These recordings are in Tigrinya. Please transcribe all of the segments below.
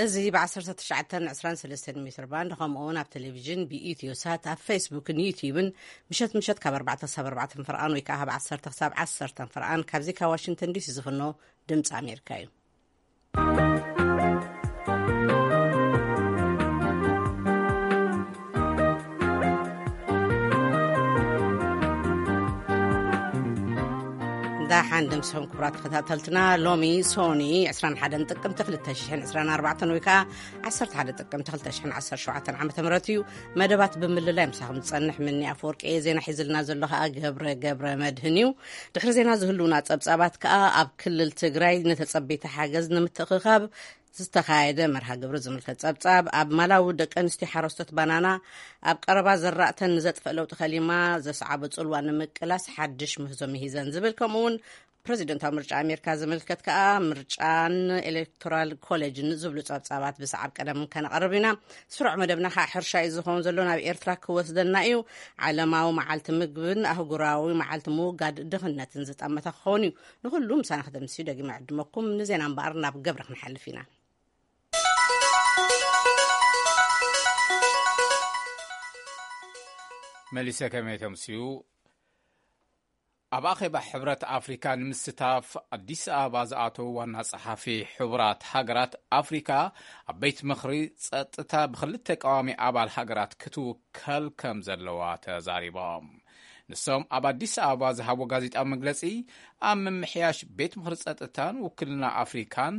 እዚ ብ1923 ሜትር ባንድ፣ ከምኡ እውን ኣብ ቴሌቪዥን ብኢትዮ ሳት፣ ኣብ ፌስቡክን ዩቲዩብን ምሸት ምሸት ካብ ኣርባዕተ ክሳብ ኣርባዕተ ፍርቓን ወይ ከዓ ካብ ዓሰርተ ክሳብ ዓሰርተ ፍርቓን ካብዚ ካብ ዋሽንግተን ዲሲ ዝፍኖ ድምፂ ኣሜሪካ እዩ። ዳሓን ደምስኹም ክቡራት ተኸታተልትና። ሎሚ ሶኒ 21 ጥቅምቲ 2024 ወይ ከዓ 11 ጥቅምቲ 2017 ዓ.ም እዩ። መደባት ብምልላይ ምሳኹም ዝጸንሕ ምኒ ኣፈወርቂ እየ። ዜና ሒዝልና ዘሎ ከዓ ገብረ ገብረ መድህን እዩ። ድሕሪ ዜና ዝህልውና ጸብጻባት ከዓ ኣብ ክልል ትግራይ ንተጸበይቲ ሓገዝ ንምትእኽኻብ ዝተኻየደ መርሃ ግብሪ ዝምልከት ጸብጻብ፣ ኣብ ማላዊ ደቂ ኣንስትዮ ሓረስቶት ባናና ኣብ ቀረባ ዘራእተን ንዘጥፍእ ለውጢ ከሊማ ዘስዓቦ ጽልዋ ንምቅላስ ሓድሽ ምህዞ ምሂዘን ዝብል፣ ከምኡ እውን ፕረዚደንታዊ ምርጫ ኣሜሪካ ዝምልከት ከኣ ምርጫን ኤሌክቶራል ኮሌጅን ዝብሉ ጸብጻባት ብሰዓብ ቀደም ከነቐርብ ኢና። ስሩዕ መደብና ከኣ ሕርሻ እዩ ዝኸውን ዘሎ፣ ናብ ኤርትራ ክወስደና እዩ። ዓለማዊ መዓልቲ ምግብን ኣህጉራዊ መዓልቲ ምውጋድ ድኽነትን ዝጠመተ ክኸውን እዩ። ንኹሉ ምሳና ክተምስዩ ደጊመ ዕድመኩም። ንዜና እምበኣር ናብ ገብረ ክንሓልፍ ኢና። መሊሰ ከመይ ተምስዩ? ኣብ ኣኼባ ሕብረት ኣፍሪካ ንምስታፍ ኣዲስ ኣበባ ዝኣተዉ ዋና ጸሓፊ ሕቡራት ሃገራት ኣፍሪካ፣ ኣብ ቤት ምኽሪ ጸጥታ ብክልተ ቀዋሚ ኣባል ሃገራት ክትውከል ከም ዘለዋ ተዛሪቦም። ንሶም ኣብ ኣዲስ ኣበባ ዝሃቦ ጋዜጣዊ መግለጺ፣ ኣብ ምምሕያሽ ቤት ምኽሪ ጸጥታን ውክልና ኣፍሪካን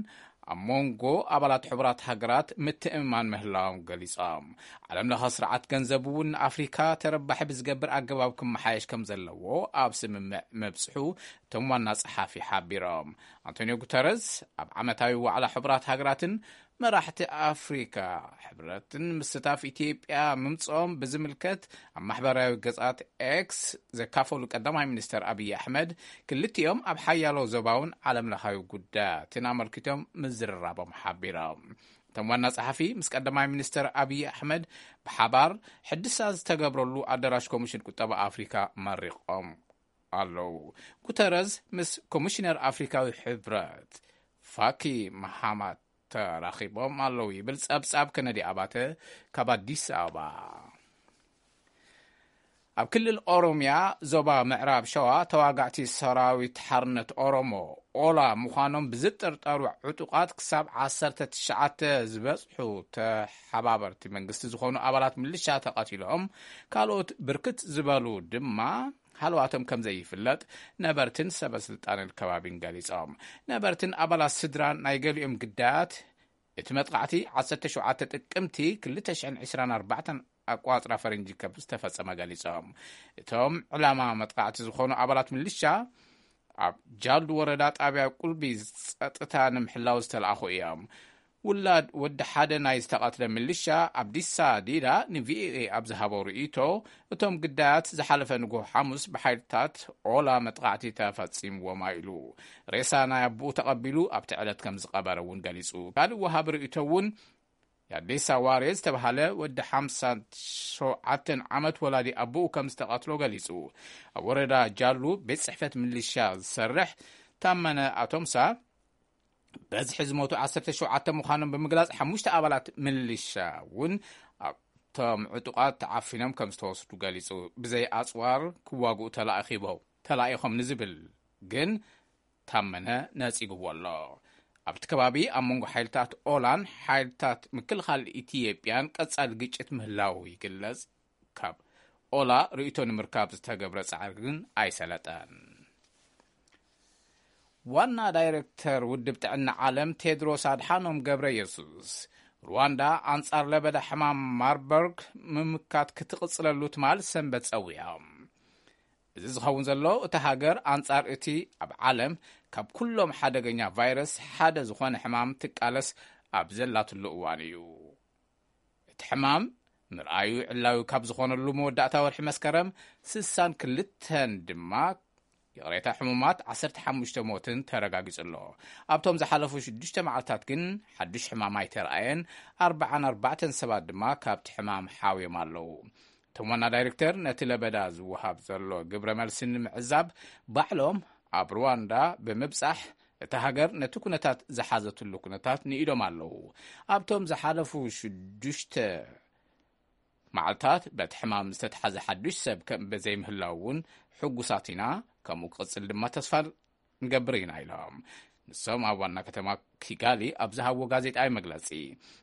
ኣብ መንጎ ኣባላት ሕቡራት ሃገራት ምትእምማን ምህላዎም ገሊጾም። ዓለም ለኸ ስርዓት ገንዘብ እውን ንኣፍሪካ ተረባሒ ብዝገብር ኣገባብ ክመሓየሽ ከም ዘለዎ ኣብ ስምምዕ መብጽሑ እቶም ዋና ጸሓፊ ሓቢሮም። ኣንቶኒዮ ጉተረዝ ኣብ ዓመታዊ ዋዕላ ሕቡራት ሃገራትን መራሕቲ ኣፍሪካ ሕብረትን ምስታፍ ኢትዮጵያ ምምጽኦም ብዝምልከት ኣብ ማሕበራዊ ገጻት ኤክስ ዘካፈሉ ቀዳማይ ሚኒስተር ኣብይ ኣሕመድ፣ ክልቲኦም ኣብ ሓያሎ ዞባውን ዓለም ለኻዊ ጉዳያትን ኣመልኪቶም ምዝርራቦም ሓቢሮም። እቶም ዋና ጸሓፊ ምስ ቀዳማይ ሚኒስተር ኣብይ ኣሕመድ ብሓባር ሕድሳ ዝተገብረሉ ኣዳራሽ ኮሚሽን ቁጠባ ኣፍሪካ መሪቖም ኣለዉ። ጉተረዝ ምስ ኮሚሽነር ኣፍሪካዊ ሕብረት ፋኪ መሃማት ተራኺቦም ኣለዉ ይብል ጸብጻብ ከነዲ ኣባተ ካብ ኣዲስ ኣበባ። ኣብ ክልል ኦሮምያ ዞባ ምዕራብ ሸዋ፣ ተዋጋዕቲ ሰራዊት ሓርነት ኦሮሞ፣ ኦላ፣ ምዃኖም ብዝጥርጠሩ ዕጡቓት ክሳብ ዓሰርተ ትሽዓተ ዝበጽሑ ተሓባበርቲ መንግስቲ ዝኾኑ ኣባላት ምልሻ ተቐቲሎም፣ ካልኦት ብርክት ዝበሉ ድማ ሃለዋቶም ከም ዘይፍለጥ ነበርትን ሰበ ስልጣንን ከባቢን ገሊጾም። ነበርትን ኣባላት ስድራን ናይ ገሊኦም ግዳያት፣ እቲ መጥቃዕቲ ዓሰርተ ሸውዓተ ጥቅምቲ ክልተ ሽሕን ዕስራን ኣርባዕተን ኣቋጽራ ፈረንጂ ከም ዝተፈጸመ ገሊጾም። እቶም ዕላማ መጥቃዕቲ ዝኾኑ ኣባላት ምልሻ፣ ኣብ ጃልዱ ወረዳ ጣብያ ቁልቢ ጸጥታ ንምሕላው ዝተለኣኹ እዮም። ውላድ ወዲ ሓደ ናይ ዝተቐትለ ምልሻ ኣብዲሳ ዲዳ ንቪኦኤ ኣብ ዝሃቦ ርእይቶ፣ እቶም ግዳያት ዝሓለፈ ንግሆ ሓሙስ ብሓይልታት ኦላ መጥቃዕቲ ተፈጺምዎም ኢሉ። ሬሳ ናይ ኣቦኡ ተቐቢሉ ኣብቲ ዕለት ከም ዝቐበረ እውን ገሊጹ። ካልእ ወሃቢ ርእይቶ እውን፣ ያዴሳ ዋሬ ዝተባሃለ ወዲ ሓምሳን ሸውዓተን ዓመት ወላዲ ኣቦኡ ከም ዝተቐትሎ ገሊጹ። ኣብ ወረዳ ጃሉ ቤት ጽሕፈት ምልሻ ዝሰርሕ ታመነ ኣቶምሳ፣ በዝሒ ዝሞቱ ዓሰርተ ሸውዓተ ምዃኖም ብምግላጽ፣ ሓሙሽተ ኣባላት ምልሻ እውን ኣብቶም ዕጡቓት ተዓፊኖም ከም ዝተወስዱ ገሊጹ። ብዘይ ኣጽዋር ክዋግኡ ተላኢኺቦም-፣ ተላኢኾም ንዝብል ግን ታመነ ነጺግዎ ኣሎ። ኣብቲ ከባቢ ኣብ መንጎ ሓይልታት ኦላን ሓይልታት ምክልኻል ኢትዮጵያን ቀጻሊ ግጭት ምህላዉ ይግለጽ። ካብ ኦላ ርእይቶ ንምርካብ ዝተገብረ ጻዕሪ ግን ኣይሰለጠን። ዋና ዳይሬክተር ውድብ ጥዕና ዓለም ቴድሮስ ኣድሓኖም ገብረ የሱስ፣ ሩዋንዳ ኣንጻር ለበዳ ሕማም ማርበርግ ምምካት ክትቕጽለሉ ትማል ሰንበት ጸዊዖም። እዚ ዝኸውን ዘሎ፣ እታ ሃገር ኣንጻር እቲ ኣብ ዓለም ካብ ኩሎም ሓደገኛ ቫይረስ ሓደ ዝኾነ ሕማም ትቃለስ ኣብ ዘላትሉ እዋን እዩ። እቲ ሕማም ምርኣዩ ዕላዊ ካብ ዝኾነሉ መወዳእታ ወርሒ መስከረም፣ ስሳን ክልተን ድማ፣ ይቕሬታ፣ ሕሙማት ዓሰርተ ሓሙሽተ ሞትን ተረጋጊጹ ኣሎ። ኣብቶም ዝሓለፉ ሽዱሽተ መዓልታት ግን ሓድሽ ሕማም ኣይተረኣየን። ኣርባዓን ኣርባዕተን ሰባት ድማ ካብቲ ሕማም ሓውዮም ኣለዉ። እቶም ዋና ዳይሬክተር፣ ነቲ ለበዳ ዝወሃብ ዘሎ ግብረ መልሲ ንምዕዛብ፣ ባዕሎም ኣብ ሩዋንዳ ብምብጻሕ፣ እታ ሃገር ነቲ ኩነታት ዝሓዘትሉ ኩነታት ንኢዶም ኣለዉ። ኣብቶም ዝሓለፉ ሽዱሽተ መዓልታት በቲ ሕማም ዝተትሓዘ ሓዱሽ ሰብ ከም ዘይምህላው እውን ሕጉሳት ኢና፣ ከምኡ ክቕጽል ድማ ተስፋ ንገብር ኢና ኢሎም። ንሶም ኣብ ዋና ከተማ ኪጋሊ ኣብ ዝሃብዎ ጋዜጣዊ መግለጺ፣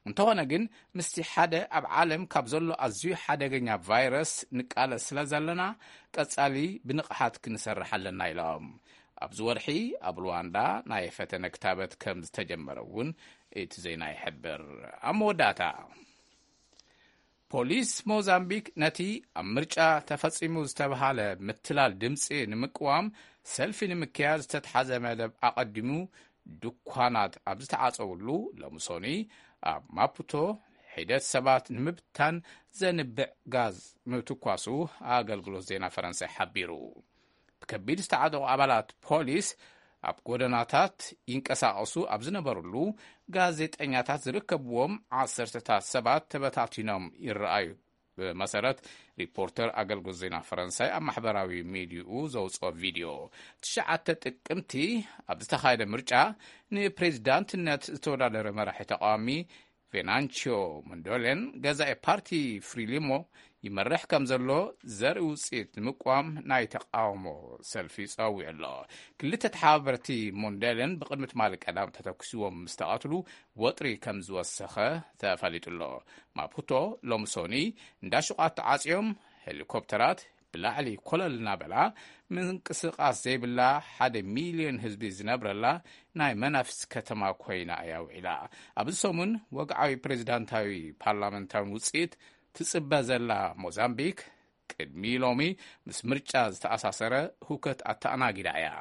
እንተኾነ ግን ምስቲ ሓደ ኣብ ዓለም ካብ ዘሎ ኣዝዩ ሓደገኛ ቫይረስ ንቃለስ ስለ ዘለና ቀጻሊ ብንቕሓት ክንሰርሕ ኣለና ኢሎም። ኣብዚ ወርሒ ኣብ ሉዋንዳ ናይ ፈተነ ክታበት ከም ዝተጀመረ እውን እቲ ዜና ይሕብር። ኣብ መወዳእታ፣ ፖሊስ ሞዛምቢክ ነቲ ኣብ ምርጫ ተፈጺሙ ዝተባሃለ ምትላል ድምጺ ንምቅዋም ሰልፊ ንምክያድ ዝተትሓዘ መደብ ኣቐዲሙ ድኳናት ኣብ ዝተዓጸውሉ ሎምሶኒ ኣብ ማፑቶ ሒደት ሰባት ንምብታን ዘንብዕ ጋዝ ምትኳሱ ኣገልግሎት ዜና ፈረንሳይ ሓቢሩ። ብከቢድ ዝተዓጠቑ ኣባላት ፖሊስ ኣብ ጎደናታት ይንቀሳቐሱ ኣብ ዝነበሩሉ፣ ጋዜጠኛታት ዝርከብዎም ዓሰርተታት ሰባት ተበታቲኖም ይረኣዩ። ብመሰረት ሪፖርተር ኣገልግሎት ዜና ፈረንሳይ ኣብ ማሕበራዊ ሚዲያኡ ዘውፅኦ ቪድዮ፣ ትሽዓተ ጥቅምቲ ኣብ ዝተኻየደ ምርጫ ንፕሬዚዳንትነት ዝተወዳደረ መራሒ ተቃዋሚ ቬናንቺዮ ሞንዶሌን ገዛኢ ፓርቲ ፍሪሊሞ ይመርሕ ከም ዘሎ ዘርኢ ውፅኢት ንምቋም ናይ ተቃውሞ ሰልፊ ጸዊዑ ኣሎ። ክልተ ተሓባበርቲ ሞንደልን ብቕድሚ ትማሊ ቀዳም ተተኩስዎም ምስ ተቐትሉ ወጥሪ ከም ዝወሰኸ ተፈሊጡ ኣሎ። ማፑቶ ሎምሶኒ እንዳ ሹቓት ተዓጽዮም፣ ሄሊኮፕተራት ብላዕሊ ኮለል እናበላ ምንቅስቓስ ዘይብላ ሓደ ሚልዮን ህዝቢ ዝነብረላ ናይ መናፍስ ከተማ ኮይና እያ ውዒላ። ኣብዚ ሰሙን ወግዓዊ ፕሬዚዳንታዊ ፓርላመንታዊ ውፅኢት ትፅበ ዘላ ሞዛምቢክ ቅድሚ ሎሚ ምስ ምርጫ ዝተኣሳሰረ ሁከት ኣተኣናጊዳ እያ።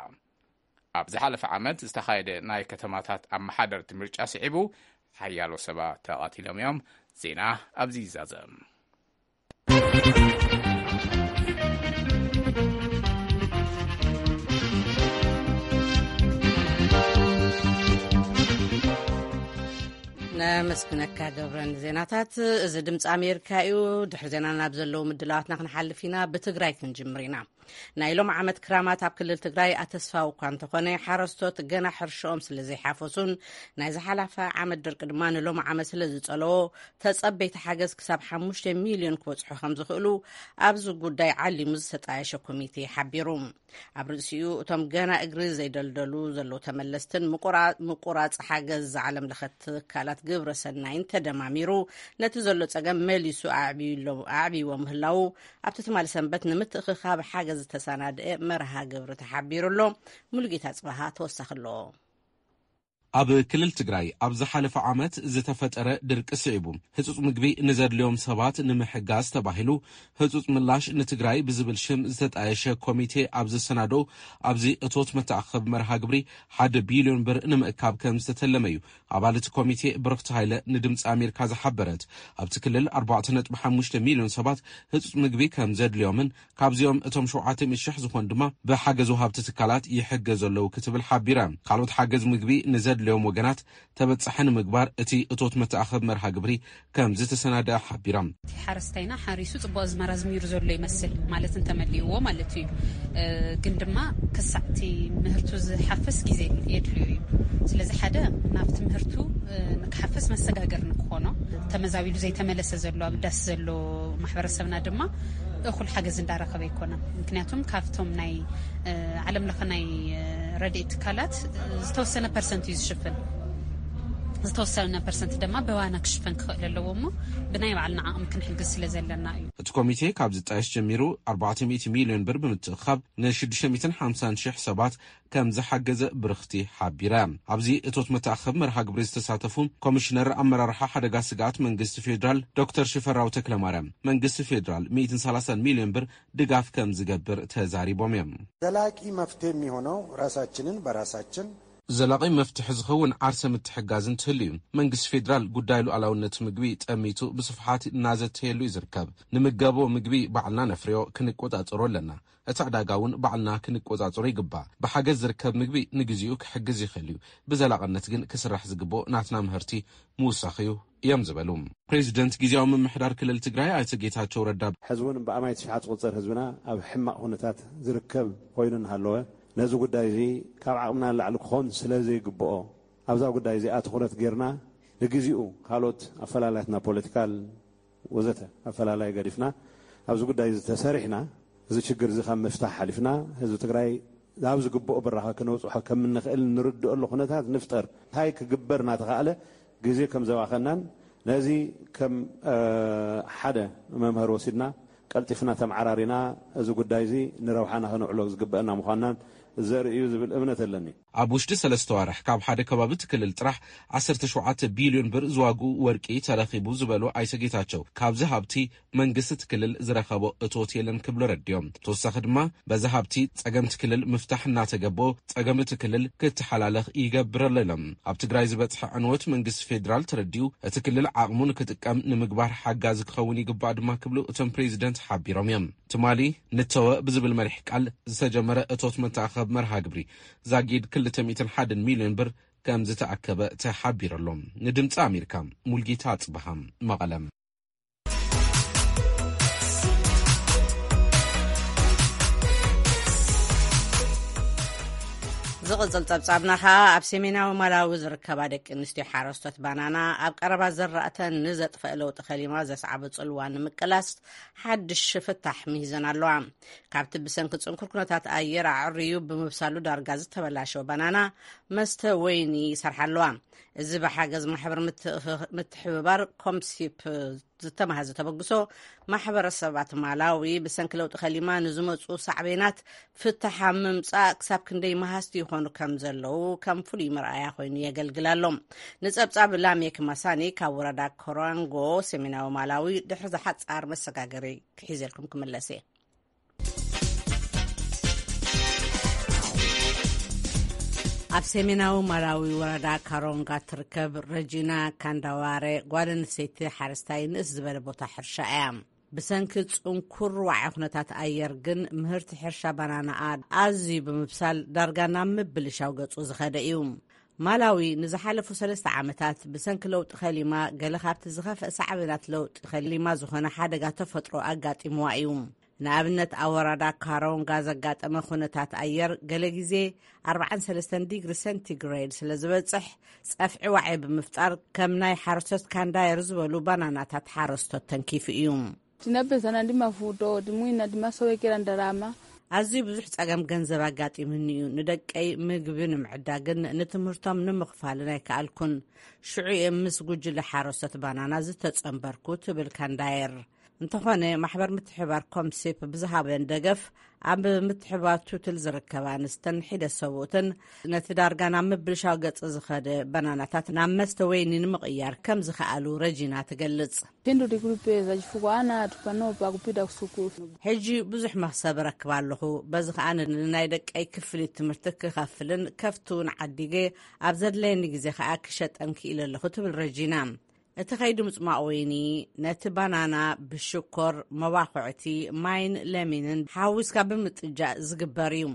ኣብ ዝሓለፈ ዓመት ዝተኻየደ ናይ ከተማታት ኣመሓደርቲ ምርጫ ስዒቡ ሓያሎ ሰባት ተቐቲሎም እዮም። ዜና ኣብዚ ይዛዘም። ነመስግነካ ገብረ ንዜናታት። እዚ ድምፂ ኣሜሪካ እዩ። ድሕሪ ዜና ናብ ዘለዉ ምድላዋትና ክንሓልፍ ኢና። ብትግራይ ክንጅምር ኢና። ናይ ሎም ዓመት ክራማት ኣብ ክልል ትግራይ ኣተስፋዊ እኳ እንተኾነ፣ ሓረስቶት ገና ሕርሽኦም ስለ ዘይሓፈሱን ናይ ዝሓለፈ ዓመት ድርቂ ድማ ንሎም ዓመት ስለ ዝጸለዎ፣ ተጸበይቲ ሓገዝ ክሳብ ሓሙሽተ ሚልዮን ክበጽሑ ከም ዝኽእሉ ኣብዚ ጉዳይ ዓሊሙ ዝተጣየሸ ኮሚቴ ሓቢሩ። ኣብ ርእሲኡ እቶም ገና እግሪ ዘይደልደሉ ዘለዉ ተመለስትን ምቁራ-፣ ምቁራጽ ሓገዝ ዓለም ለኸ ትካላት ግብረ ሰናይን ተደማሚሩ ነቲ ዘሎ ጸገም መሊሱ ኣዕብዩሎ-፣ ኣዕብይዎ ምህላዉ ኣብቲ ትማሊ ሰንበት ንምትእኽኻብ ሓገዝ ዝተሰናድአ መርሃ ግብሪ ተሓቢሩ ኣሎ። ሙሉጌታ ጽባሃ ተወሳኺ ኣለዎ። ኣብ ክልል ትግራይ ኣብ ዝሓለፈ ዓመት ዝተፈጠረ ድርቂ ስዒቡ ህጹጽ ምግቢ ንዘድልዮም ሰባት ንምሕጋዝ ተባሂሉ ህጹጽ ምላሽ ንትግራይ ብዝብል ሽም ዝተጣየሸ ኮሚቴ ኣብ ዘሰናዶ ኣብዚ እቶት መተኣኸቢ መርሃ ግብሪ ሓደ ቢልዮን ብር ንምእካብ ከም ዝተተለመ እዩ ኣባል እቲ ኮሚቴ ብርኽቲ ሃይለ ንድምፂ ኣሜሪካ ዝሓበረት። ኣብቲ ክልል ኣርባዕተ ነጥቢ ሓሙሽተ ሚልዮን ሰባት ህጹጽ ምግቢ ከም ዘድልዮምን ካብዚኦም እቶም ሸውዓተ ሚእቲ ሽሕ ዝኾን ድማ ብሓገዝ ወሃብቲ ትካላት ይሕገዙ ኣለዉ ክትብል ሓቢራ። ካልኦት ሓገዝ ምግቢ ንዘድልዮም ወገናት ተበጻሒ ንምግባር እቲ እቶት መተኣኸቢ መርሃ ግብሪ ከም ዝተሰናደኣ ሓቢራ። እቲ ሓረስታይና ሓሪሱ ጽቡቕ ኣዝመራ ኣዝሚሩ ዘሎ ይመስል፣ ማለት እንተመሊእዎ ማለት እዩ። እ፣ ግን ድማ ክሳዕ እቲ ምህርቱ ዝሓፍስ ግዜ የድልዮ እዩ። ስለዚ ሓደ ናብቲ ምህርቱ፣ እ፣ ንክሓፍስ መሰጋገሪ ንክኾኖ ተመዛቢሉ ዘይተመለሰ ዘሎ ኣብ ዳስ ዘሎ ማሕበረሰብና ድማ እኹል ሓገዝ እንዳረኸበ ኣይኮነን። ምክንያቱም ካብቶም ናይ፣ እ፣ ዓለም ለኸ ናይ፣ እ፣ ረድኤት ትካላት፣ እ፣ ዝተወሰነ ፐርሰንት እዩ ዝሽፍን። ዝተወሰነ ፐርሰንት ድማ ብዋና ክሽፈን ክኽእል ኣለዎ እሞ ብናይ ባዕልና ዓቕሚ ክንሕግዝ ስለ ዘለና እዩ። እቲ ኮሚቴ ካብ ዝጣየሽ ጀሚሩ ኣርባዕተ ሚእቲ ሚልዮን ብር ብምትእኻብ ንሽዱሽተ ሚእትን ሓምሳን ሽሕ ሰባት ከም ዝሓገዘ ብርኽቲ ሓቢራ። ኣብዚ እቶት መተኣኸቢ መርሃ ግብሪ ዝተሳተፉ ኮሚሽነር ኣመራርሓ ሓደጋ ስግኣት መንግስቲ ፌዴራል ዶክተር ሽፈራው ተክለማርያም መንግስቲ ፌዴራል ሚእትን ሰላሳን ሚልዮን ብር ድጋፍ ከም ዝገብር ተዛሪቦም እዮም። ዘላቂ መፍትሄ የሚሆነው ራሳችንን በራሳችን ዘላቒ መፍትሒ ዝኸውን ዓርሰ ምትሕጋዝ እንትህሉ እዩ። መንግስቲ ፌዴራል ጉዳይ ሉዓላውነት ምግቢ ጠሚቱ ብስፍሓት እናዘተየሉ እዩ ዝርከብ። ንምገቦ ምግቢ ባዕልና ነፍርዮ፣ ክንቆጻጸሮ ኣለና። እቲ ዕዳጋ እውን ባዕልና ክንቆጻጸሮ ይግባእ። ብሓገዝ ዝርከብ ምግቢ ንግዚኡ ክሕግዝ ይኽእል እዩ። ብዘላቕነት ግን ክስራሕ ዝግብኦ ናትና ምህርቲ ምውሳኽ እዩ እዮም ዝበሉ። ፕሬዚደንት ግዜያዊ ምምሕዳር ክልል ትግራይ ኣይተ ጌታቸው ረዳ ሕዚ እውን ብኣማይ ትሽዓት ዝቑጸር ህዝብና ኣብ ሕማቕ ኩነታት ዝርከብ ኮይኑ እናሃለወ ነዚ ጉዳይ እዚ ካብ ዓቕምና ንላዕሊ ክኾን ስለ ዘይግብኦ፣ ኣብዛ ጉዳይ እዚኣ ትኹረት ጌርና፣ ንግዜኡ ካልኦት ኣፈላላያትና፣ ፖለቲካል ወዘተ ኣፈላላይ ገዲፍና፣ ኣብዚ ጉዳይ እዚ ተሰሪሕና፣ እዚ ችግር እዚ ካብ ምፍታሕ ሓሊፍና፣ ህዝቢ ትግራይ ናብ ዝግብኦ ብራኸ ክነውፅሖ ከም እንኽእል እንርድኦሉ ኩነታት ንፍጠር። እንታይ ክግበር እናተኻእለ ግዜ ከም ዘባኸናን፣ ነዚ ከም፣ እ፣ ሓደ መምሃሪ ወሲድና፣ ቀልጢፍና ተመዓራሪና፣ እዚ ጉዳይ እዚ ንረብሓና ከነውዕሎ ዝግበአና ምዃናን ዘርኢ እዩ ዝብል እምነት ኣለኒ። ኣብ ውሽጢ ሰለስተ ዋርሕ ካብ ሓደ ከባቢ እቲ ክልል ጥራሕ ዓሰርተ ሸውዓተ ቢልዮን ብር ዝዋግኡ ወርቂ ተረኺቡ ዝበሉ ኣይተ ጌታቸው፣ ካብዚ ሃብቲ መንግስቲ እቲ ክልል ዝረኸቦ እቶት የለን ክብሉ ረድዮም። ተወሳኺ ድማ በዚ ሃብቲ ጸገም እቲ ክልል ምፍታሕ እናተገቦ ጸገም እቲ ክልል ክተሓላለኽ ይገብር ኣሎ ኢሎም። ኣብ ትግራይ ዝበጽሐ ዕንወት መንግስቲ ፌዴራል ተረዲኡ እቲ ክልል ዓቕሙ ንክጥቀም ንምግባር ሓጋዚ ክኸውን ይግባእ ድማ ክብሉ እቶም ፕሬዚደንት ሓቢሮም እዮም። ትማሊ ንተወ ብዝብል መሪሕ ቃል ዝተጀመረ እቶት መተኣኸብ መርሃ ግብሪ ዛጊድ ክልተ ሚእትን ሓደን ሚልዮን ብር ከም ዝተኣከበ ተሓቢሩ ኣሎ። ንድምፂ ኣሜሪካ ሙልጌታ ኣፅበሃ፣ መቐለም። ዝቕጽል ጸብጻብና ኸኣ ኣብ ሰሜናዊ ማላዊ ዝርከባ ደቂ ኣንስትዮ ሓረስቶት ባናና ኣብ ቀረባ ዘራእተን ንዘጥፍእ ለውጢ ከሊማ ዘስዓቦ ጽልዋ ንምቅላስ ሓድሽ ፍታሕ ምሂዘን ኣለዋ። ካብቲ ብሰንኪ ጽንኩር ኩነታት ኣየር ኣዕርዩ ብምብሳሉ ዳርጋ ዝተበላሸወ ባናና መስተ ወይኒ ይሰርሓ ኣለዋ። እዚ ብሓገዝ ማሕበር ምትእኽ-፣ ምትሕብባር ኮምሲፕ ዝተማሃዘ ተበግሶ ማሕበረሰባት ማላዊ ብሰንኪ ለውጢ ከሊማ ንዝመጹ ሳዕቤናት ፍትሕ ኣብ ምምጻእ ክሳብ ክንደይ መሃዝቲ ይኾኑ ከም ዘለዉ ከም ፍሉይ መርኣያ ኮይኑ የገልግል ኣሎ። ንጸብጻብ ላሜክ ማሳኒ ካብ ወረዳ ኮራንጎ ሰሜናዊ ማላዊ ድሕሪ ዝሓጻር መሰጋገሪ ክሒዘልኩም ክምለስ እየ። ኣብ ሰሜናዊ ማላዊ ወረዳ ካሮንጋ ትርከብ ረጂና ካንዳዋረ ጓል ኣንስተይቲ ሓረስታይ ንእስ ዝበለ ቦታ ሕርሻ እያ። ብሰንኪ ጽንኩር ዋዒ ኩነታት ኣየር ግን ምህርቲ ሕርሻ ባናናኣ ኣዝዩ ብምብሳል ዳርጋ ናብ ምብልሻው ገጹ ዝኸደ እዩ። ማላዊ ንዝሓለፉ ሰለስተ ዓመታት ብሰንኪ ለውጢ ከሊማ ገለ ካብቲ ዝኸፍአ ሳዕቤናት ለውጢ ከሊማ ዝኾነ ሓደጋ ተፈጥሮ ኣጋጢምዋ እዩ። ንኣብነት ኣብ ወረዳ ካሮንጋ ዘጋጠመ ኩነታት ኣየር ገለ ግዜ ኣርባዓን ሰለስተን ዲግሪ ሴንቲግሬድ ስለ ዝበጽሕ ጸፍዒ ዋዒ ብምፍጣር ከም ናይ ሓረስቶት ካንዳየር ዝበሉ ባናናታት ሓረስቶት ተንኪፉ እዩ። Tinabezana ndi mavuto, ndi mwina ndi masowekera ndalama. ኣዝዩ ብዙሕ ጸገም ገንዘብ ኣጋጢሙኒ እዩ። ንደቀይ ምግቢ ንምዕዳግን ንትምህርቶም ንምኽፋልን ኣይከኣልኩን። ሽዑ እየ ምስ ጉጅለ ሓረስቶት ባናና ዝተጸንበርኩ ትብል ካንዳየር። እንተኾነ ማሕበር ምትሕባር ኮምሴፕ ብዝሃበን ደገፍ ኣብ ምትሕባር ቱትል ዝርከባ ኣንስተን ሒደ ሰብኡትን ነቲ ዳርጋ ናብ ምብልሻው ገጽ ዝኸደ ባናናታት ናብ መስተ ወይኒ ንምቕያር ከም ዝኸኣሉ ረጂና ትገልጽ። Phindu ndi kuli peza chifukwa ana athu panopa akupita kusukulu. ሕጂ ብዙሕ መኽሰብ እረክብ ኣለኹ። በዚ ኸኣ ንናይ ደቀይ ክፍሊት ትምህርቲ ክኸፍልን ከፍቲ እውን ዓዲገ ኣብ ዘድለየኒ ግዜ ኸኣ ክሸጠን ክኢለ ኣለኹ ትብል ረጂና። እቲ ከይዲ ምጽማቕ ወይኒ ነቲ ባናና ብሽኮር፣ መባኹዕቲ፣ ማይን ለሚንን ሓዊስካ ብምጥጃእ ዝግበር እዩ።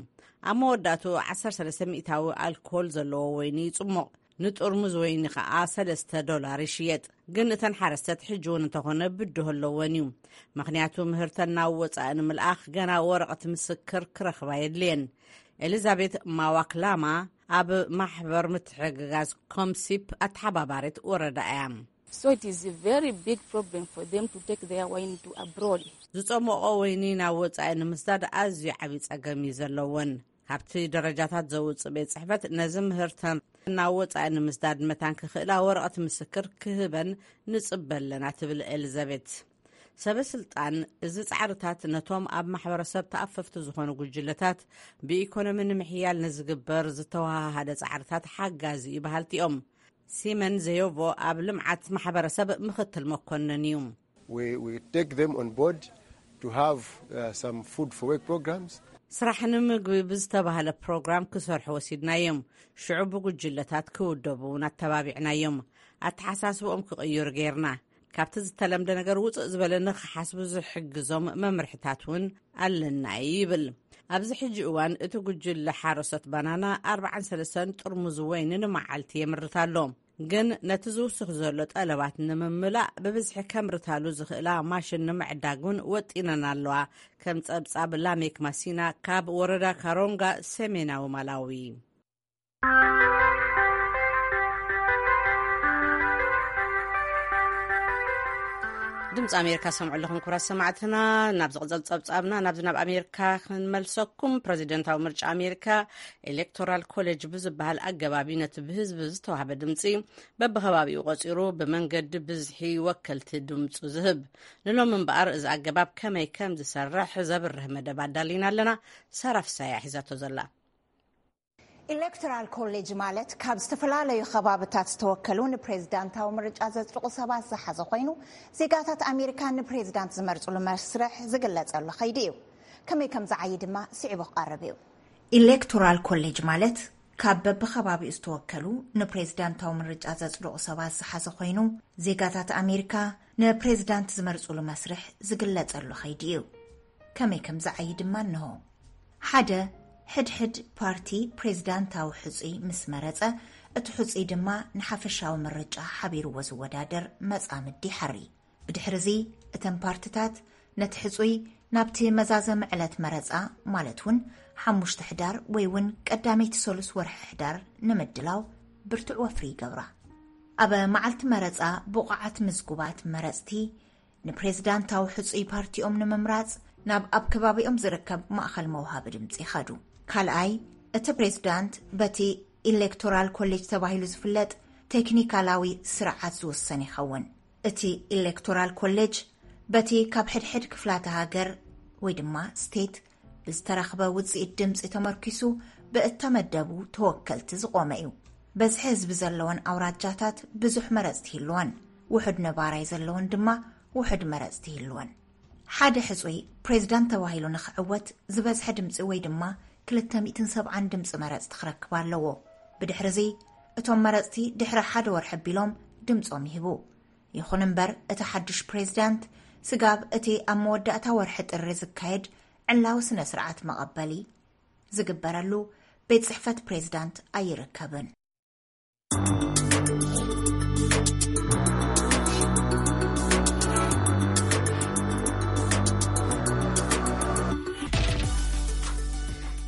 ኣብ መወዳእቱ ዓሰርተ ሰለስተ ሚእታዊ ኣልኮል ዘለዎ ወይኒ ይጽሞቕ። ንጥርሙዝ ወይኒ ኸኣ ሰለስተ ዶላር ይሽየጥ። ግን እተን ሓረስተት ሕጂ እውን እንተኾነ ብድሆ ኣለወን እዩ። ምኽንያቱ ምህርተን ናብ ወጻኢ ንምልኣኽ ገና ወረቐት ምስክር ክረኽባ የድልየን። ኤሊዛቤት ማዋክላማ ኣብ ማሕበር ምትሕግጋዝ ኮምሲፕ ኣተሓባባሪት ወረዳ እያ። So it is a very big problem for them to take their wine to abroad. ዝጸሞቖ ወይኒ ናብ ወጻኢ ንምስዳድ ኣዝዩ ዓብዪ ጸገም እዩ ዘለወን። ካብቲ ደረጃታት ዘውጽእ ቤት ጽሕፈት ነዚ ምህርተን ናብ ወጻኢ ንምስዳድ መታን ክኽእላ ወረቐት ምስክር ክህበን ንጽበ ኣለና ትብል ኤሊዛቤት። ሰበ ስልጣን እዚ ጻዕርታት ነቶም ኣብ ማሕበረሰብ ተኣፈፍቲ ዝኾኑ ጉጅለታት ብኢኮኖሚ ንምሕያል ንዝግበር ዝተወሃሃደ ጻዕርታት ሓጋዚ እዩ በሃልቲ እዮም። ሲመን ዘዮቮ ኣብ ልምዓት ማሕበረሰብ ምኽትል መኮንን እዩ። We, we take them on board to have, uh, some food for work programs. ስራሕ ንምግቢ ብዝተባህለ ፕሮግራም ክሰርሑ ወሲድናዮም። ሽዑ ብጉጅለታት ክውደቡ እውን ኣተባቢዕናዮም። ኣተሓሳስብኦም ክቕይሩ ጌርና። ካብቲ ዝተለምደ ነገር ውፅእ ዝበለ ንኽሓስቡ ዝሕግዞም መምርሕታት እውን ኣለና ይብል። ኣብዚ ሕጂ እዋን እቲ ጉጅለ ሓረሶት ባናና ኣርባዓን ሰለስተን ጥርሙዝ ወይኒ ንመዓልቲ የምርት ኣሎ። ግን ነቲ ዝውስኽ ዘሎ ጠለባት ንምምላእ ብብዝሒ ከምርታሉ ዝኽእላ ማሽን ንምዕዳግ እውን ወጢነን ኣለዋ። ከም ጸብጻብ ላሜክ ማሲና ካብ ወረዳ ካሮንጋ ሰሜናዊ ማላዊ። ድምፂ ኣሜሪካ ሰምዑ ኣለኹም ክቡራት ሰማዕትና። ናብ ዝቕፅል ፀብፃብና ናብዚ ናብ ኣሜሪካ ክንመልሰኩም። ፕረዚደንታዊ ምርጫ ኣሜሪካ ኤሌክቶራል ኮሌጅ ብዝበሃል ኣገባብ እዩ ነቲ ብህዝቢ ዝተዋህበ ድምፂ በብኸባቢኡ ቆፂሩ ብመንገዲ ብዝሒ ወከልቲ ድምፁ ዝህብ። ንሎም እምበኣር እዚ ኣገባብ ከመይ ከም ዝሰርሕ ዘብርህ መደብ ኣዳሊና ኣለና። ሳራ ፍሳያ ሒዛቶ ዘላ። ኤሌክቶራል ኮሌጅ ማለት ካብ ዝተፈላለዩ ከባብታት ዝተወከሉ ንፕሬዚዳንታዊ ምርጫ ዘጽድቑ ሰባት ዝሓዘ ኮይኑ፣ ዜጋታት ኣሜሪካ ንፕሬዚዳንት ዝመርጽሉ መስርሕ ዝግለጸሉ ከይዲ እዩ። ከመይ ከም ዝዓዪ ድማ ስዒቡ ክቐርብ እዩ። ኤሌክቶራል ኮሌጅ ማለት ካብ በብኸባቢኡ ዝተወከሉ ንፕሬዚዳንታዊ ምርጫ ዘጽድቑ ሰባት ዝሓዘ ኮይኑ፣ ዜጋታት ኣሜሪካ ንፕሬዚዳንት ዝመርጽሉ መስርሕ ዝግለጸሉ ከይዲ እዩ። ከመይ ከም ዝዓዪ ድማ እንሆ። ሓደ፣ ሕድሕድ ፓርቲ ፕሬዚዳንታዊ ሕጹይ ምስ መረጸ፣ እቲ ሕጹይ ድማ ንሓፈሻዊ ምርጫ ሓቢርዎ ዝወዳደር መጻምዲ ይሓሪ። ብድሕርዚ እተን ፓርትታት ነቲ ሕጹይ ናብቲ መዛዘሚ ዕለት መረጻ፣ ማለት እውን ሓሙሽተ ሕዳር ወይ እውን ቀዳመይቲ ሰሉስ ወርሒ ሕዳር ንምድላው ብርቱዕ ወፍሪ ይገብራ። ኣብ መዓልቲ መረጻ ብቑዓት ምዝጉባት መረጽቲ ንፕሬዚዳንታዊ ሕጹይ ፓርቲኦም ንምምራጽ ናብ ኣብ ከባቢኦም ዝርከብ ማእኸል መውሃቢ ድምጺ ይኸዱ። ካልኣይ፣ እቲ ፕሬዚዳንት በቲ ኢሌክቶራል ኮሌጅ ተባሂሉ ዝፍለጥ ቴክኒካላዊ ስርዓት ዝውሰን ይኸውን። እቲ ኢሌክቶራል ኮሌጅ በቲ ካብ ሕድሕድ ክፍላተ ሃገር ወይ ድማ ስቴት ብዝተረኽበ ውጽኢት ድምጺ ተመርኪሱ ብእተመደቡ ተወከልቲ ዝቖመ እዩ። በዝሒ ህዝቢ ዘለወን ኣውራጃታት ብዙሕ መረጽቲ ይህልወን፣ ውሑድ ነባራይ ዘለወን ድማ ውሑድ መረጽቲ ይህልወን። ሓደ ሕጹይ ፕሬዚዳንት ተባሂሉ ንኽዕወት ዝበዝሐ ድምጺ ወይ ድማ ክልተ ሚእትን ሰብዓን ድምጺ መረጽቲ ክረክብ ኣለዎ። ብድሕርዚ እቶም መረጽቲ ድሕሪ ሓደ ወርሒ ኣቢሎም ድምጾም ይህቡ። ይኹን እምበር እቲ ሓድሽ ፕሬዚዳንት ስጋብ እቲ ኣብ መወዳእታ ወርሒ ጥሪ ዝካየድ ዕላዊ ስነ ስርዓት መቐበሊ ዝግበረሉ ቤት ጽሕፈት ፕሬዚዳንት ኣይርከብን።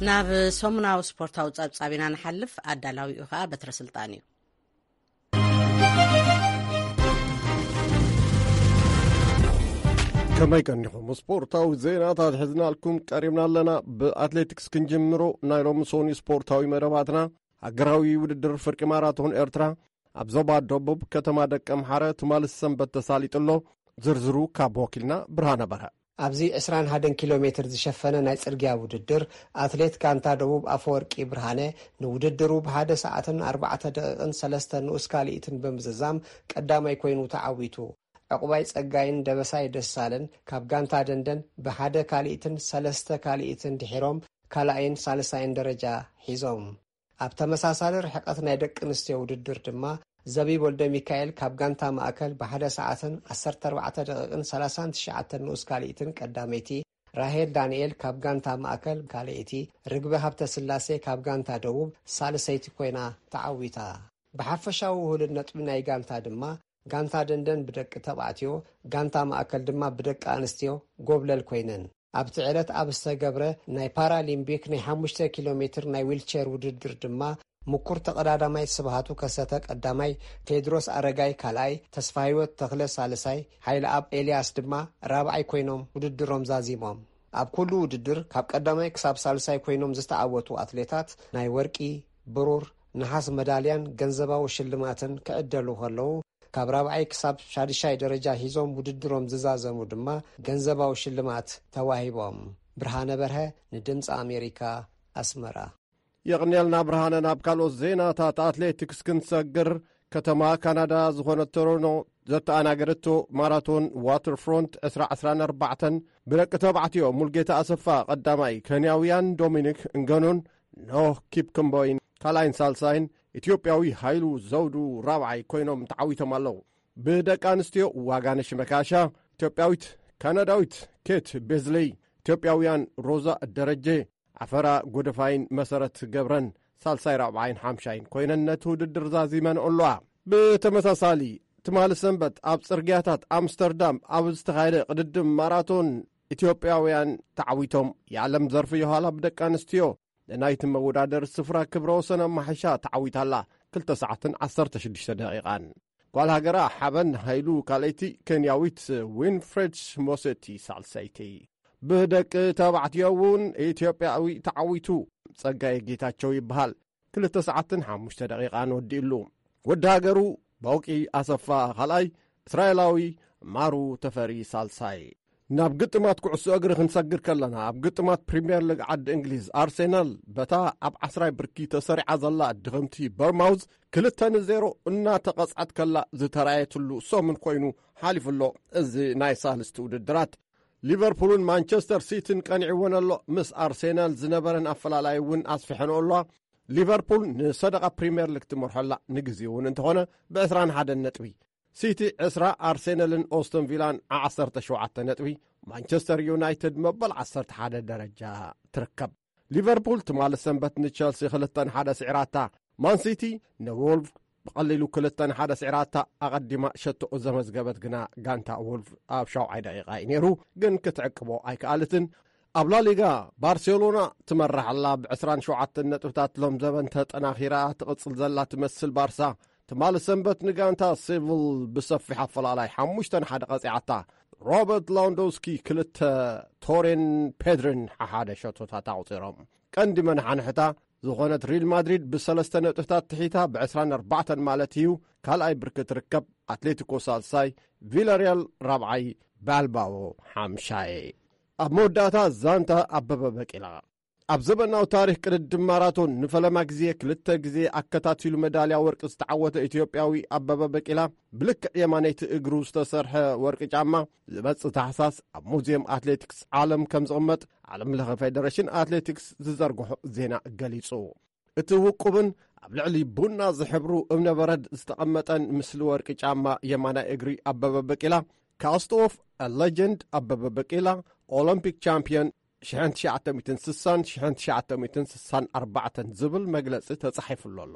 ናብ ሰሙናዊ ስፖርታዊ ጸብጻብ ኢና ንሓልፍ። ኣዳላዊኡ ኸኣ በትረ ስልጣን እዩ። ከመይ ቀኒኹም? ስፖርታዊ ዜናታት ሒዝናልኩም ቀሪብና ኣለና። ብኣትሌቲክስ ክንጅምሮ። ናይ ሎሚ ሶኒ ስፖርታዊ መደባትና፣ ሃገራዊ ውድድር ፍርቂ ማራቶን ኤርትራ ኣብ ዞባ ደቡብ ከተማ ደቀምሓረ ትማሊ ሰንበት ተሳሊጡ ኣሎ። ዝርዝሩ ካብ ወኪልና ብርሃነ በርሀ። ኣብዚ ዕስራን ሓደን ኪሎ ሜትር ዝሸፈነ ናይ ጽርግያ ውድድር፣ ኣትሌት ጋንታ ደቡብ ኣፈወርቂ ብርሃነ፣ ንውድድሩ ብሓደ ሰዓትን ኣርባዕተ ደቂቕን ሰለስተ ንኡስ ካልኢትን ብምዝዛም ቀዳማይ ኮይኑ ተዓዊቱ። ዕቑባይ ጸጋይን ደበሳይ ደሳለን ካብ ጋንታ ደንደን ብሓደ ካልኢትን ሰለስተ ካልኢትን ድሒሮም ካልኣይን ሳልሳይን ደረጃ ሒዞም። ኣብ ተመሳሳሊ ርሕቀት ናይ ደቂ ኣንስትዮ ውድድር ድማ፣ ዘቢብ ወልደሚካኤል ካብ ጋንታ ማእከል ብሓደ ሰዓትን ዓሰርተ ኣርባዕተ ደቂቕን ሰላሳን ትሽዓተን ንኡስ ካልኢትን ቀዳመይቲ፣ ራሄል ዳንኤል ካብ ጋንታ ማእከል ካልኣይቲ፣ ርግቢ ሃብተስላሴ ካብ ጋንታ ደቡብ ሳልሰይቲ ኮይና ተዓዊታ። ብሓፈሻዊ ውህሉል ነጥቢ ናይ ጋንታ ድማ፣ ጋንታ ደንደን ብደቂ ተባዕትዮ፣ ጋንታ ማእከል ድማ ብደቂ ኣንስትዮ ጎብለል ኮይነን። ኣብቲ ዕለት ኣብ ዝተገብረ ናይ ፓራሊምፒክ ናይ ሓሙሽተ ኪሎ ሜትር ናይ ዊልቸር ውድድር ድማ፣ ምኩር ተቐዳዳማይ ስብሃቱ ከሰተ ቀዳማይ፣ ቴድሮስ ኣረጋይ ካልኣይ፣ ተስፋህይወት ተኽለ ሳልሳይ፣ ሓይለኣብ ኤልያስ ድማ ራብዓይ ኮይኖም ውድድሮም ዛዚሞም። ኣብ ኩሉ ውድድር ካብ ቀዳማይ ክሳብ ሳልሳይ ኮይኖም ዝተዓወቱ ኣትሌታት ናይ ወርቂ፣ ብሩር፣ ነሓስ መዳልያን ገንዘባዊ ሽልማትን ክዕደሉ ከለዉ፣ ካብ ራብዓይ ክሳብ ሻድሻይ ደረጃ ሒዞም ውድድሮም ዝዛዘሙ ድማ ገንዘባዊ ሽልማት ተዋሂቦም። ብርሃነ በርሀ ንድምፂ ኣሜሪካ፣ ኣስመራ። የቕንየልና ብርሃነ። ናብ ካልኦት ዜናታት ኣትሌቲክስ ክንሰግር። ከተማ ካናዳ ዝኾነት ቶሮኖ ዘተኣናገደቶ ማራቶን ዋተርፍሮንት ዕስራ ዕስራን ኣርባዕተን፣ ብደቂ ተባዕትዮ ሙልጌታ ኣሰፋ ቀዳማይ፣ ኬንያውያን ዶሚኒክ እንገኖን ኖህ ኪፕክምቦይን ካልኣይን ሳልሳይን፣ ኢትዮጵያዊ ሃይሉ ዘውዱ ራብዓይ ኮይኖም ተዓዊቶም ኣለዉ። ብደቂ ኣንስትዮ ዋጋነሽ መካሻ፣ ኢትዮጵያዊት ካናዳዊት ኬት ቤዝለይ፣ ኢትዮጵያውያን ሮዛ ደረጀ፣ ዓፈራ ጎደፋይን መሰረት ገብረን ሳልሳይ፣ ራብዓይን ሓምሻይን ኮይነን ነቲ ውድድር ዛዚመን ኣለዋ። ብተመሳሳሊ፣ ትማሊ ሰንበት ኣብ ጽርግያታት ኣምስተርዳም ኣብ ዝተኻየደ ቅድድም ማራቶን፣ ኢትዮጵያውያን ተዓዊቶም። የዓለም ዘርፍ ዮሃላ ብደቂ ኣንስትዮ ንናይቲ መወዳደሪ ስፍራ ክብረ ወሰን ኣማሒሻ ተዓዊታላ፣ ክልተ ሰዓትን ዓሰርተ ሽዱሽተ ደቂቓን። ጓል ሃገራ ሓበን ሃይሉ ካልኣይቲ፣ ኬንያዊት ዊንፍሬድ ሞሴቲ ሳልሰይቲ። ብደቂ ተባዕትዮ እውን ኢትዮጵያዊ ተዓዊቱ፣ ጸጋይ ጌታቸው ይበሃል። ክልተ ሰዓትን ሓሙሽተ ደቂቓን ወዲእሉ። ወዲ ሃገሩ ባውቂ ኣሰፋ ካልኣይ፣ እስራኤላዊ ማሩ ተፈሪ ሳልሳይ። ናብ ግጥማት ኩዕሶ እግሪ ክንሰግር ከለና፣ ኣብ ግጥማት ፕሪምየር ሊግ ዓዲ እንግሊዝ፣ ኣርሴናል በታ ኣብ ዓስራይ ብርኪ ተሰሪዓ ዘላ ድኽምቲ በርማውዝ ክልተ ንዜሮ እናተቐጽዐት ከላ ዝተራየትሉ ሰሙን ኮይኑ ሓሊፉ ኣሎ። እዚ ናይ ሳልስቲ ውድድራት፣ ሊቨርፑልን ማንቸስተር ሲቲን ቀኒዕወን ኣሎ። ምስ ኣርሴናል ዝነበረን ኣፈላላይ እውን ኣስፊሐንኦ ኣለዋ። ሊቨርፑል ንሰደቓ ፕሪምየር ሊግ ትመርሖ ኣላ፣ ንግዜኡ እውን እንተኾነ ብ ዕስራን ሓደን ነጥቢ። ሲቲ ዕስራ፣ ኣርሴናልን ኦስቶን ቪላን ዓሰርተ ሸውዓተ ነጥቢ፣ ማንቸስተር ዩናይትድ መበል ዓሰርተ ሓደ ደረጃ ትርከብ። ሊቨርፑል ትማሊ ሰንበት ንቸልሲ ክልተ ንሓደ ስዒራታ። ማንሲቲ ንዎልቭ ብቐሊሉ ክልተ ንሓደ ስዒራታ። ኣቐዲማ ሸቶ ዘመዝገበት ግና ጋንታ ዎልቭ ኣብ ሻውዓይ ደቂቓ እዩ ነይሩ፣ ግን ክትዕቅቦ ኣይከኣለትን። ኣብ ላሊጋ፣ ባርሴሎና ትመርሕ ኣላ ብዕስራን ሸውዓተን ነጥብታት። ሎም ዘበን ተጠናኺራ ትቕጽል ዘላ ትመስል ባርሳ፣ ትማሊ ሰንበት ንጋንታ ሴቪል ብሰፊሕ ኣፈላላይ ሓሙሽተ ንሓደ ቀጺዓታ። ሮበርት ላውንዶውስኪ ክልተ፣ ቶሬን ፔድሪን ሓሓደ ሸቶታት ኣቑጺሮም። ቀንዲ መናሓንሕታ ዝኾነት ሪል ማድሪድ ብሰለስተ ነጥብታት ትሒታ ብዕስራን ኣርባዕተን ማለት እዩ ካልኣይ ብርኪ ትርከብ። ኣትሌቲኮ ሳልሳይ፣ ቪላሪያል ራብዓይ፣ ባልባኦ ሓምሻይ። ኣብ መወዳእታ ዛንታ ኣበበ በቂላ። ኣብ ዘበናዊ ታሪኽ ቅድድም ማራቶን ንፈለማ ግዜ ክልተ ግዜ ኣከታቲሉ መዳልያ ወርቂ ዝተዓወተ ኢትዮጵያዊ ኣበበ በቂላ፣ ብልክዕ የማነይቲ እግሩ ዝተሰርሐ ወርቂ ጫማ ዝመጽእ ታሕሳስ ኣብ ሙዚየም ኣትሌቲክስ ዓለም ከም ዝቕመጥ ዓለም ለኸ ፌደሬሽን ኣትሌቲክስ ዝዘርግሖ ዜና ገሊጹ። እቲ ውቁብን ኣብ ልዕሊ ቡና ዝሕብሩ እብነበረድ ዝተቐመጠን ምስሊ ወርቂ ጫማ የማናይ እግሪ ኣበበ በቂላ፣ ካስት ኦፍ ሌጀንድ ኣበበ በቂላ፣ ኦሎምፒክ ቻምፒዮን ሽሕን ትሽዓተ ሚእትን ስሳን ሽሕን ትሽዓተ ሚእትን ስሳን ኣርባዕተን ዝብል መግለጺ ተጻሒፉሉ ኣሎ።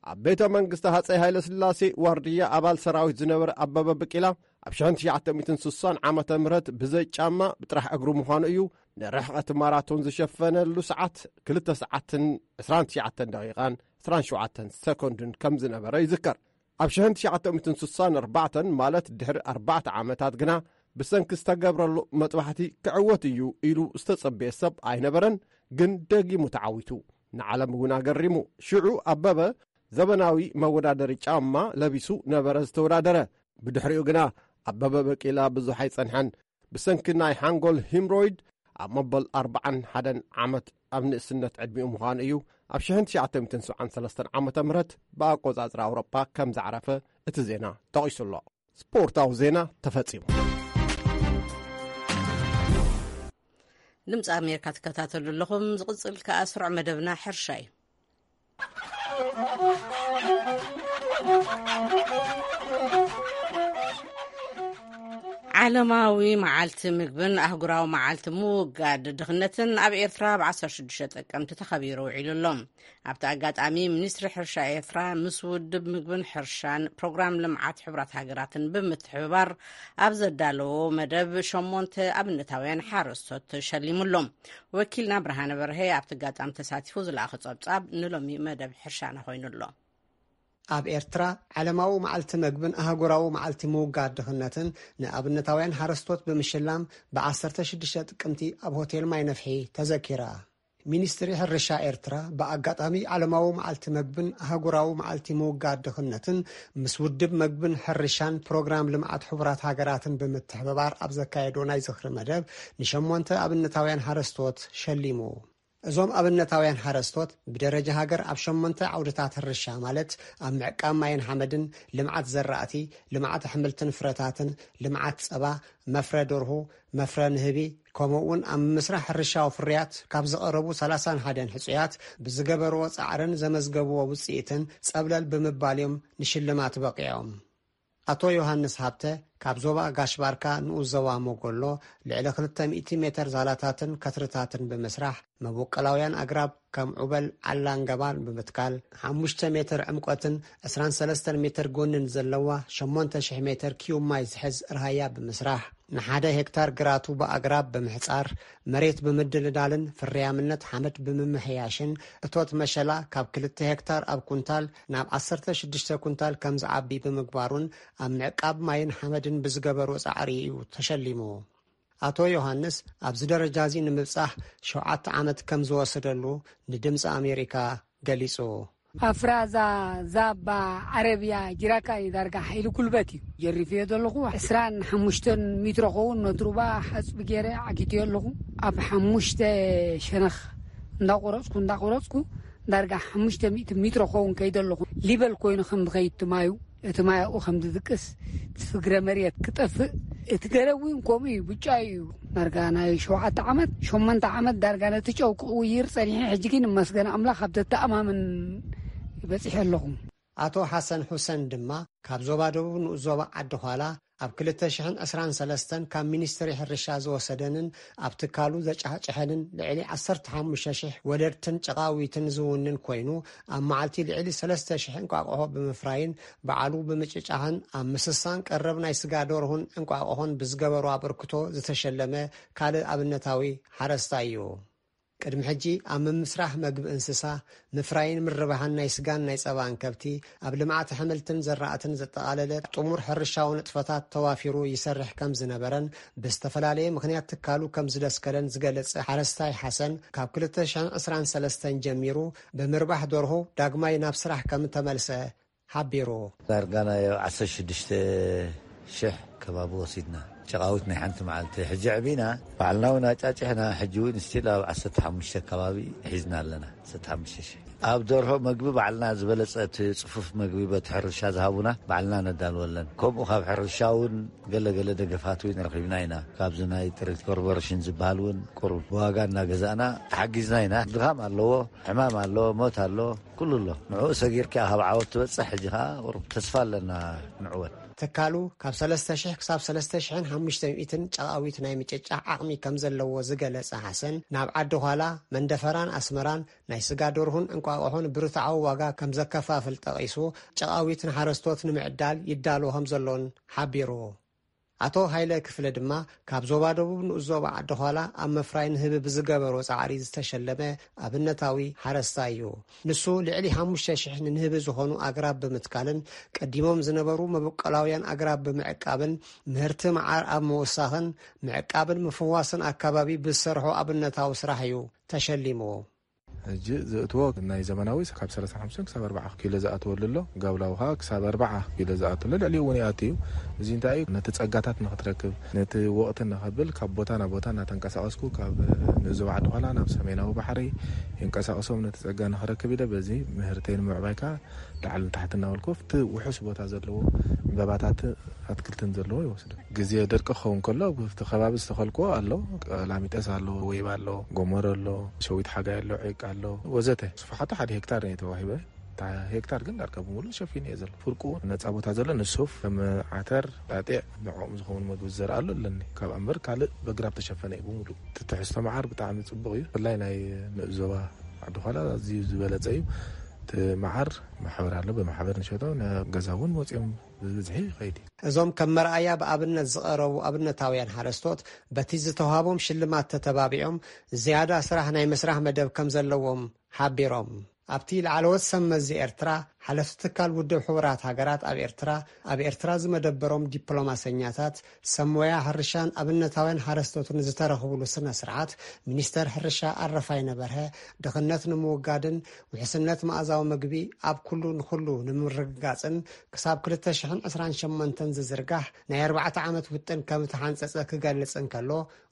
ኣብ ቤተ መንግስቲ ሃጸይ ሃይለ ስላሴ ዋርድያ ኣባል ሰራዊት ዝነበረ ኣበበ በቂላ፣ ኣብ ሽሕን ትሽዓተ ሚእትን ስሳን ዓመተ ምህረት ብዘይ ጫማ ብጥራሕ እግሩ ምዃኑ እዩ ንርሕቐት ማራቶን ዝሸፈነሉ ሰዓት ክልተ ሰዓትን ዕስራን ትሽዓተን ደቂቓን ዕስራን ሸውዓተን ሰኮንድን ከም ዝነበረ ይዝከር። ኣብ ሽሕን ትሽዓተ ሚእትን ስሳን ኣርባዕተን ማለት ድሕሪ ኣርባዕተ ዓመታት ግና ብሰንኪ ዝተገብረሉ መጥባሕቲ ክዕወት እዩ ኢሉ ዝተጸበየ ሰብ ኣይነበረን፣ ግን ደጊሙ ተዓዊቱ። ንዓለም እውን ኣገሪሙ። ሽዑ ኣበበ ዘበናዊ መወዳደሪ ጫማ ለቢሱ ነበረ ዝተወዳደረ። ብድሕሪኡ ግና ኣበበ በቂላ ብዙሕ ኣይጸንሐን። ብሰንኪ ናይ ሓንጎል ሂምሮይድ ኣብ መበል ኣርባዓን ሓደን ዓመት ኣብ ንእስነት ዕድሚኡ ምዃኑ እዩ ኣብ ሽሕን ትሽዓተ ሚእትን ሰብዓን ሰለስተን ዓመተ ምህረት ብኣቆጻጽራ ኣውሮጳ ከም ዘዕረፈ እቲ ዜና ጠቒሱ ኣሎ። ስፖርታዊ ዜና ተፈጺሙ። ድምፂ ኣሜሪካ ትከታተሉ ኣለኹም። ዝቕፅል ከኣ ስሩዕ መደብና ሕርሻ እዩ። ዓለማዊ መዓልቲ ምግብን ኣህጉራዊ መዓልቲ ምውጋድ ድኽነትን ኣብ ኤርትራ ብ ዓሰርተ ሽዱሽተ ጥቅምቲ ተኸቢሩ ውዒሉ ኣሎ። ኣብቲ ኣጋጣሚ፣ ሚኒስትሪ ሕርሻ ኤርትራ ምስ ውድብ ምግብን ሕርሻን ፕሮግራም ልምዓት ሕቡራት ሃገራትን ብምትሕብባር ኣብ ዘዳለዎ መደብ፣ ሸሞንተ ኣብነታውያን ሓረስቶት ተሸሊሙ ኣሎ። ወኪልና ብርሃነ በርሀ ኣብቲ ኣጋጣሚ ተሳቲፉ ዝለኣኾ ጸብጻብ ንሎሚ መደብ ሕርሻና ኮይኑ ኣሎ። ኣብ ኤርትራ፣ ዓለማዊ መዓልቲ መግብን ኣህጉራዊ መዓልቲ ምውጋድ ድኽነትን ንኣብነታውያን ሓረስቶት ብምሽላም፣ ብ ዓሰርተ ሽዱሽተ ጥቅምቲ ኣብ ሆቴል ማይ ነፍሒ ተዘኪራ። ሚኒስትሪ ሕርሻ ኤርትራ፣ ብኣጋጣሚ ዓለማዊ መዓልቲ መግብን ኣህጉራዊ መዓልቲ ምውጋድ ድኽነትን፣ ምስ ውድብ መግብን ሕርሻን ፕሮግራም ልምዓት ሕቡራት ሃገራትን ብምትሕብባር ኣብ ዘካየዶ ናይ ዝኽሪ መደብ፣ ንሸሞንተ ኣብነታውያን ሓረስቶት ሸሊሙ። እዞም ኣብነታውያን ሓረስቶት፣ ብደረጃ ሃገር ኣብ ሸሞንተ ዓውድታት ሕርሻ፣ ማለት ኣብ ምዕቃብ ማይን ሓመድን፣ ልምዓት ዘራእቲ፣ ልምዓት ኣሕምልትን ፍረታትን፣ ልምዓት ጸባ፣ መፍረ ደርሁ፣ መፍረ ንህቢ፣ ከምኡ እውን ኣብ ምምስራሕ ሕርሻዊ ፍርያት ካብ ዝቐረቡ ሰላሳን ሓደን ሕጹያት፣ ብዝገበርዎ ጻዕርን ዘመዝገብዎ ውጽኢትን ጸብለል ብምባል እዮም ንሽልማት በቒዖም። ኣቶ ዮሃንስ ሃብተ ካብ ዞባ ጋሽ ባርካ ንኡስ ዞባ ሞጎሎ ልዕሊ ክልተ ሚእቲ ሜትር ዛላታትን ከትርታትን ብምስራሕ፣ መበቆላውያን ኣግራብ ከም ዑበል ዓላን ገባን ብምትካል፣ ሓሙሽተ ሜትር ዕምቆትን ዕስራን ሰለስተን ሜትር ጎንን ዘለዋ ሸሞንተ ሽሕ ሜትር ኪዩብ ማይ ዝሕዝ ርሃያ ብምስራሕ፣ ንሓደ ሄክታር ግራቱ ብኣግራብ ብምሕጻር፣ መሬት ብምድልዳልን ፍርያምነት ሓመድ ብምምሕያሽን፣ እቶት መሸላ ካብ ክልተ ሄክታር ኣብ ኩንታል ናብ ዓሰርተ ሽዱሽተ ኩንታል ከም ዝዓቢ ብምግባሩን ኣብ ምዕቃብ ማይን ሓመድን ብዝገበሮ ጻዕሪ እዩ ተሸሊሙ። ኣቶ ዮሃንስ ኣብዚ ደረጃ እዚ ንምብጻሕ ሸውዓተ ዓመት ከም ዝወሰደሉ ንድምጺ ኣሜሪካ ገሊጹ። ኣፍራዛ ዛባ ዓረብያ ጅራካኒ ዳርጋ ሓይሊ ጉልበት እዩ ጀሪፍዮ ዘለኹ። ዕስራን ሓሙሽተን ሚትሮ ኸውን ነትሩባ ሓፅቢ ገይረ ዓጊትዮ ኣለኹ። ኣብ ሓሙሽተ ሸነኽ እንዳቆረፅኩ እንዳቆረፅኩ ዳርጋ ሓሙሽተ ሚእቲ ሚትሮ ኸውን ከይደ ኣለኹ። ሊበል ኮይኑ ከም ዝኸይድ ትማዩ እቲ ማይ ኣብኡ ከም ዝድቅስ፣ እቲ ፍግረ መሬት ክጠፍእ፣ እቲ ገረብ እውን ከምኡ እዩ፣ ብጫ እዩ። ዳርጋ ናይ ሸውዓተ ዓመት፣ ሸሞንተ ዓመት ዳርጋ ነቲ ጨው ክቕይር ጸኒሐ፣ ሕጂ ግን ይመስገን ኣምላኽ ኣብ ዘተኣማምን በጺሐ ኣለኹ። ኣቶ ሓሰን ሁሰን ድማ ካብ ዞባ ደቡብ ንኡስ ዞባ ዓዲ ዃላ ኣብ ክልተ ሽሕን ዕስራን ሰለስተን ካብ ሚኒስትሪ ሕርሻ ዝወሰደንን ኣብ ትካሉ ዘጫሕጨሐንን ልዕሊ ዓሰርተ ሓሙሽተ ሽሕ ወለድትን ጨቓዊትን ዝውንን ኮይኑ፣ ኣብ መዓልቲ ልዕሊ ሰለስተ ሽሕ እንቋቑሖ ብምፍራይን ባዕሉ ብምጭጫሕን ኣብ ምስሳን ቀረብ ናይ ስጋ ደርሁን እንቋቑሖን ብዝገበሮ ኣበርክቶ ዝተሸለመ ካልእ ኣብነታዊ ሓረስታይ እዩ። ቅድሚ ሕጂ ኣብ ምምስራሕ መግቢ እንስሳ፣ ምፍራይን ምርባሕን ናይ ስጋን ናይ ጸባን ከብቲ፣ ኣብ ልምዓት ኣሕምልትን ዘራእትን ዘጠቓለለ ጥሙር ሕርሻዊ ንጥፈታት ተዋፊሩ ይሰርሕ ከም ዝነበረን ብዝተፈላለየ ምኽንያት ትካሉ ከም ዝደስከለን ዝገለጸ ሓረስታይ ሓሰን፣ ካብ ክልተ ሽሕን ዕስራን ሰለስተን ጀሚሩ ብምርባሕ ደርሁ ዳግማይ ናብ ስራሕ ከም ተመልሰ ሓቢሩ። ዳርጋ ናይ ዓሰርተ ሽዱሽተ ሽሕ ከባቢ ወሲድና። ጨቓዊት ናይ ሓንቲ መዓልቲ። ሕጂ ዕቢና፣ ባዕልና እውን ኣጫጭሕና፣ ሕጂ እውን ስቲል ኣብ ዓሰርተ ሓሙሽተ ከባቢ ሒዝና ኣለና። ዓሰርተ ሓሙሽተ ሽሕ። ኣብ ደርሆ መግቢ ባዕልና ዝበለጸ እቲ ጽፉፍ መግቢ በቲ ሕርሻ ዝሃቡና ባዕልና ነዳልወለን። ከምኡ ካብ ሕርሻ እውን ገለ ገለ ደገፋት እውን ረኺብና ኢና። ካብዚ ናይ ጥሪት ኮርፖሬሽን ዝበሃል እውን ቁሩብ ብዋጋ እናገዛእና ተሓጊዝና ኢና። ድኻም ኣለዎ፣ ሕማም ኣሎ፣ ሞት ኣሎ፣ ኩሉ ኣሎ። ንዕኡ ሰጊርካ ካብ ዓወት ትበጽሕ፣ ሕጂ ኸዓ ቁሩብ ተስፋ ኣለና ንዕወት። ትካሉ ካብ ሰለስተ ሽሕ ክሳብ ሰለስተ ሽሕን ሓሙሽተ ሚእትን ጨቓዊት ናይ ምጭጫሕ ዓቕሚ ከም ዘለዎ ዝገለጸ ሓሰን፣ ናብ ዓዲ ዃላ፣ መንደፈራን ኣስመራን ናይ ስጋ ደርሁን እንቋቑሖን ብርትዓዊ ዋጋ ከም ዘከፋፍል ጠቒሱ፣ ጨቓዊት ንሓረስቶት ንምዕዳል ይዳሎ ከም ዘሎን ሓቢሩ። ኣቶ ሃይለ ክፍለ ድማ ካብ ዞባ ደቡብ ንኡስ ዞባ ዓዲ ዃላ ኣብ ምፍራይ ንህቢ ብዝገበሮ ጻዕሪ ዝተሸለመ ኣብነታዊ ሓረስታይ እዩ። ንሱ ልዕሊ ሓሙሽተ ሽሕ ንንህቢ ዝኾኑ ኣግራብ ብምትካልን ቀዲሞም ዝነበሩ መበቆላውያን ኣግራብ ብምዕቃብን ምህርቲ መዓር ኣብ ምውሳኽን ምዕቃብን ምፍዋስን ኣካባቢ ብዝሰርሖ ኣብነታዊ ስራሕ እዩ ተሸሊሙ። ሕጂ ዘእትዎ ናይ ዘመናዊ ካብ ሰላሳ ሓሙሽተ ክሳብ ኣርባዓ ኪሎ ዝኣትወሉ ኣሎ። ጋብላዊ ከዓ ክሳብ ኣርባዓ ኪሎ ዝኣትወሉ፣ ልዕሊኡ እውን ይኣቱ እዩ። እዚ እንታይ እዩ? ነቲ ጸጋታት ንኽትረክብ፣ ነቲ ወቕቲ ንኸብል ካብ ቦታ ናብ ቦታ እናተንቀሳቐስኩ፣ ካብ ንእዞ ዓዲ ዃላ ናብ ሰሜናዊ ባሕሪ ይንቀሳቐሶም ነቲ ጸጋ ንኽረክብ ኢለ በዚ ምህርተይ ንምዕባይ ከዓ ላዕሊ ንታሕቲ እናበልኩ ኣብቲ ውሑስ ቦታ ዘለዎ ዕምባባታት ኣትክልትን ዘለዎ ይወስዱ። ግዜ ደርቂ ክኸውን ከሎ ኣብቲ ከባቢ ዝተኸልክዎ ኣሎ። ቀላሚጠስ ኣሎ፣ ወይባ ኣሎ፣ ጎመሮ ኣሎ፣ ሸዊት ሓጋይ ኣሎ፣ ዒቅ ኣሎ ወዘተ። ስፍሓቱ ሓደ ሄክታር እዩ ተዋሂበ። እታ ሄክታር ግን ዳርጋ ብምሉእ ሸፊኑ እየ ዘሎ። ፍርቁ ነፃ ቦታ ዘሎ ንሱፍ፣ ከም ዓተር፣ ጣጢዕ፣ ንዕኦም ዝኸውን መግቢ ዝዘርኣሉ ኣለኒ። ካብ ኣምበር ካልእ በግራብ ተሸፈነ እዩ ብምሉእ። እቲ ትሕዝቶ መዓር ብጣዕሚ ጽቡቕ እዩ። ብፍላይ ናይ ንኡስ ዞባ ዓዲ ዃላ ኣዝዩ ዝበለጸ እዩ። እቲ መዓር ማሕበር ኣሎ፣ ብማሕበር ንሸጦ፣ ናብ ገዛ እውን ወፂኦም ብብዝሒ ይኸይድ እዩ። እዞም ከም መርኣያ ብኣብነት ዝቐረቡ ኣብነታውያን ሓረስቶት በቲ ዝተዋህቦም ሽልማት ተተባቢዖም ዝያዳ ስራሕ ናይ ምስራሕ መደብ ከም ዘለዎም ሓቢሮም። ኣብቲ ላዕለዎት ሰብ መዚ ኤርትራ፣ ሓለፍቲ ትካል ውድብ ሕቡራት ሃገራት ኣብ ኤርትራ፣ ኣብ ኤርትራ ዝመደበሮም ዲፕሎማሰኛታት፣ ሰብ ሞያ ሕርሻን ኣብነታውያን ሓረስቶትን ዝተረኽብሉ ስነ ስርዓት፣ ሚኒስተር ሕርሻ ኣረፋይነ በርሀ፣ ድኽነት ንምውጋድን ውሕስነት መኣዛዊ ምግቢ ኣብ ኩሉ ንኹሉ ንምርግጋጽን ክሳብ ክልተ ሽሕን ዕስራን ሸሞንተን ዝዝርጋሕ ናይ ኣርባዕተ ዓመት ውጥን ከም እተሓንጸጸ ክገልጽ እንከሎ፣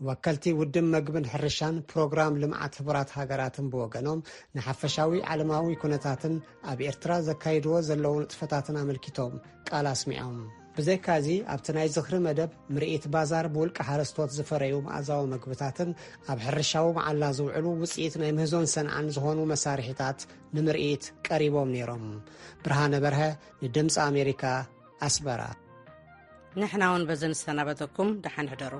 ወከልቲ ውድብ መግብን ሕርሻን ፕሮግራም ልምዓት ሕቡራት ሃገራትን ብወገኖም፣ ንሓፈሻዊ ዓለማዊ ኩነታትን ኣብ ኤርትራ ዘካይድዎ ዘለዉ ንጥፈታትን ኣመልኪቶም ቃል ኣስሚዖም። ብዘይካዚ፣ ኣብቲ ናይ ዝኽሪ መደብ፣ ምርኢት ባዛር ብውልቂ ሓረስቶት ዝፈረዩ መኣዛዊ መግብታትን ኣብ ሕርሻዊ መዓላ ዝውዕሉ ውጽኢት ናይ ምህዞን ሰንዓን ዝኾኑ መሳርሒታት ንምርኢት ቀሪቦም ነይሮም። ብርሃነ በርሀ፣ ንድምፂ ኣሜሪካ፣ ኣስመራ። ንሕና እውን በዚ ንሰናበተኩም፣ ደሓን ሕደሩ።